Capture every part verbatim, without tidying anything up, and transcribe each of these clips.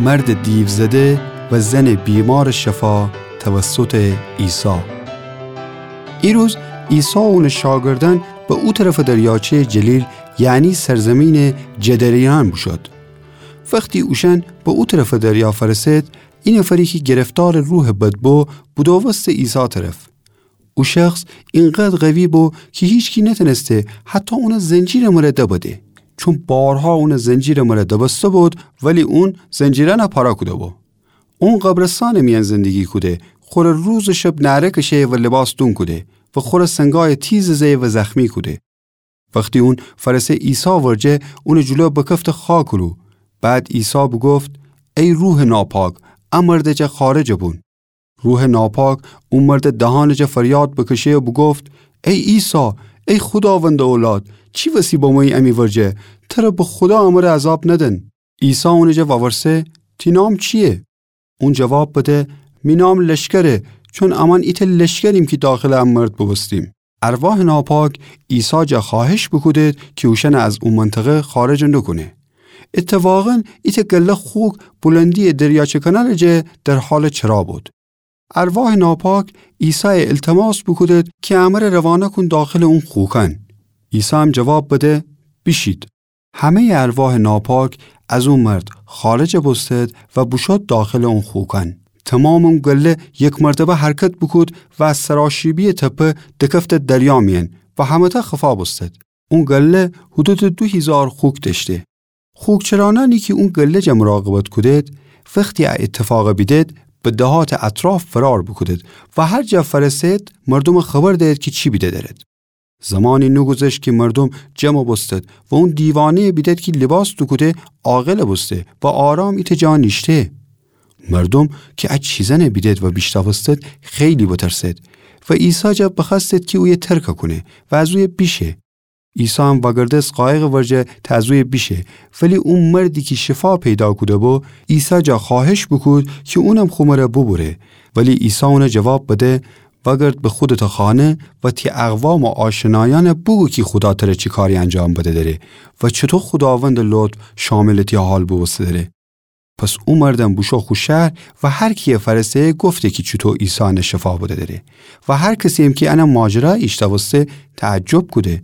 مردٚ دیوزده و زنٚ بیمارٚ شفا توسطٚ عیسی. ایروز عیسی و اونٚ شاگردأن به او طرفٚ دریاچه‌یٚ جلیل، یعنی سرزمینٚ جدره‌یأن بوشود. وختی اوشأن به او طرفٚ دریا فأرسد، ای نفری کی گرفتارٚ روحٚ بد بو، بودووسته عیسی طرف. او شخص اینقدر قوی بو کی هیچکی نتأنسته حتی اونٚ زنجیرٚ مره دبده. چون بارها اونٚ زنجیرٚ مره دبسته بود، ولی اون زنجیرأنَ پاره کوده بو. اون قبرستانٚ میأن زندگی کوده، خوره روز و شب نعره کشه و لباس دون کوده و خوره سنگایٚ تیزٚ زه و زخمی کوده. وختی اون فأرسه عیسی ورجه، اونٚ جلو بکفته خاکٚ رو. بعد عیسی بوگفت: ای روحٚ ناپاک، ا مردٚ جا خارج بون. روحٚ ناپاک او مردٚ دهانٚ جا فریاد بکشه و بوگفت: ای عیسی، ای خوداوندٚ اولاد، چی وسی بمویی امی ورجه؟ تره به خودا امره عذاب ندن. عیسی اونٚ جا وورسه: تی نام چییه؟ اون جواب بده: می نام لشکره، چون امأن ایتأ لشکریم کی داخلٚ ا مرد بوبوستیم. ارواحٚ ناپاک عیسی جا خوأهش بوکودد کی اوشأنَ از او منطقه خارج نوکونه. اتفاقاً ایتأ گله خوک بلندیٚ دریاچه کنارٚ جا در حالٚ چرا بود. ارواحٚ ناپاک عیسایَ ایلتماس بوکودد کی امره روانه کون داخلٚ اون خوکأن. عیسی هم جواب بده: بیشید. همه‌یٚ ارواحٚ ناپاک از او مرد خارج بوستد و بوشود داخلٚ اون خوکأن. تومامٚ اون گله یک مرتبه حرکت بوکود و از سراشیبی‌یٚ تپه دکفته دریا میأن و همه‌تأ خفا بوستد. اون گله حدودٚ دو هیزار خوک دأشته. خوکچرأنأنی کی اون گله جا مراقبت کودد، وختی ا ایتفاقَ بیدد، به دهاتٚ اطراف فرار بوکودد و هر جا فأرسد مردومَ خبر دهد کی چی بیده دأرد. زمانی نوگوذشت کی مردوم جمع بوستد و اون دیوانه‌یَ بیدد کی لباس دوکوده عاقل بوسته و آرام ایتأ جا نیشته. مردوم کی ا چیزأنَ بیدد و بیشتاوستد، خیلی بترسد و عیسی جا بخوأستد کی اویه ترکَ کونه و از اویه بیشه. عیسی هم وأگردست قایقٚ ورجه تا از اویه بیشه، ولی او مردی کی شفا پیدا کوده بو، عیسی جا خوأهش بوکود کی اونم خو مره بوبوره. ولی عیسی اونَ جواب بده: وأگرد به خودتٚ خانه و تی اقوام و آشنایأنَ بوگو کی خودا تره چی کاری انجام بده دأره و چوطو خوداوندٚ لطف شاملٚ تی حال بوبوسته دأره. پس او مردم بوشو خو شهر و هر کیَ فأرسه گفته کی چوطو عیسی انَ شفا بده دأره و هر کسی‌یم کی انَ ماجرا ایشتاوسته تعجب کوده.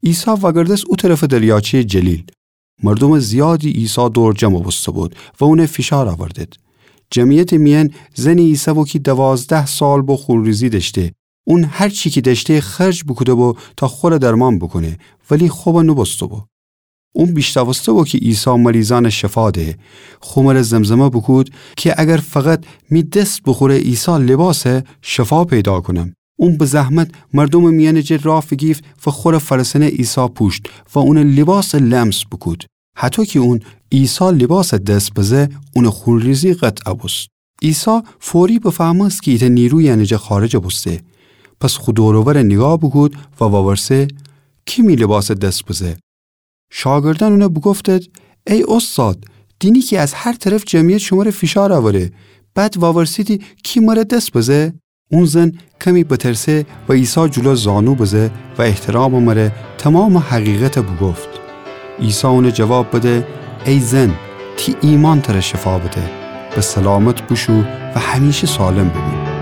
عیسی وأگردست او طرفٚ دریاچه‌یٚ جلیل. مردومٚ زیادی عیسی دور جمع بوسته بود و اونَ فیشار اوردد. جمعیتٚ میأن زنی ایسه‌بو کی دوازده سال بو خونریزی دأشته. اون هر چی کی دأشته خرج بوکوده‌بو تا خوره درمان بوکونه، ولی خوبَ نوبوسته‌بو. اون بیشتاوسته‌بو کی عیسی مریضأنَ شفا ده. خو مره زمزمه بوکود کی اگر فقط می دس بوخوره عیسی لباسَ، شفا پیدا کونم. اون به زحمت مردومٚ میأنٚ جه راه فیگیفت و خوره فأرسأنه عیسی پوشت و اونٚ لباسَ لمس بوکود. هطو کی اون عیسی لباسَ دس بزه، اونٚ خونریزی قطع بوست. عیسی فوری بفهمست کی ایتأ نیرویی انٚ جا خارج بوسته. پس خو دور و ورَ نیگاه بوکود و وورسه: کی می لباسَ دس بزه؟ شاگردأن اونَ بوگفتد: ای اوستاد، دینی کی از هر طرف جمعیت شمره فیشار اوره، بعد وورسیدی کی مره دس بزه؟ اون زن کمی بترسه و عیسی جلو زانو بزه و احترامٚ مره تومامٚ حقیقتَ بوگفت. عیسی اونَ جواب بده: ای زن، تی ایمأن تره شفا بده. به سلامت بوشو و همیشه سالم بوبو.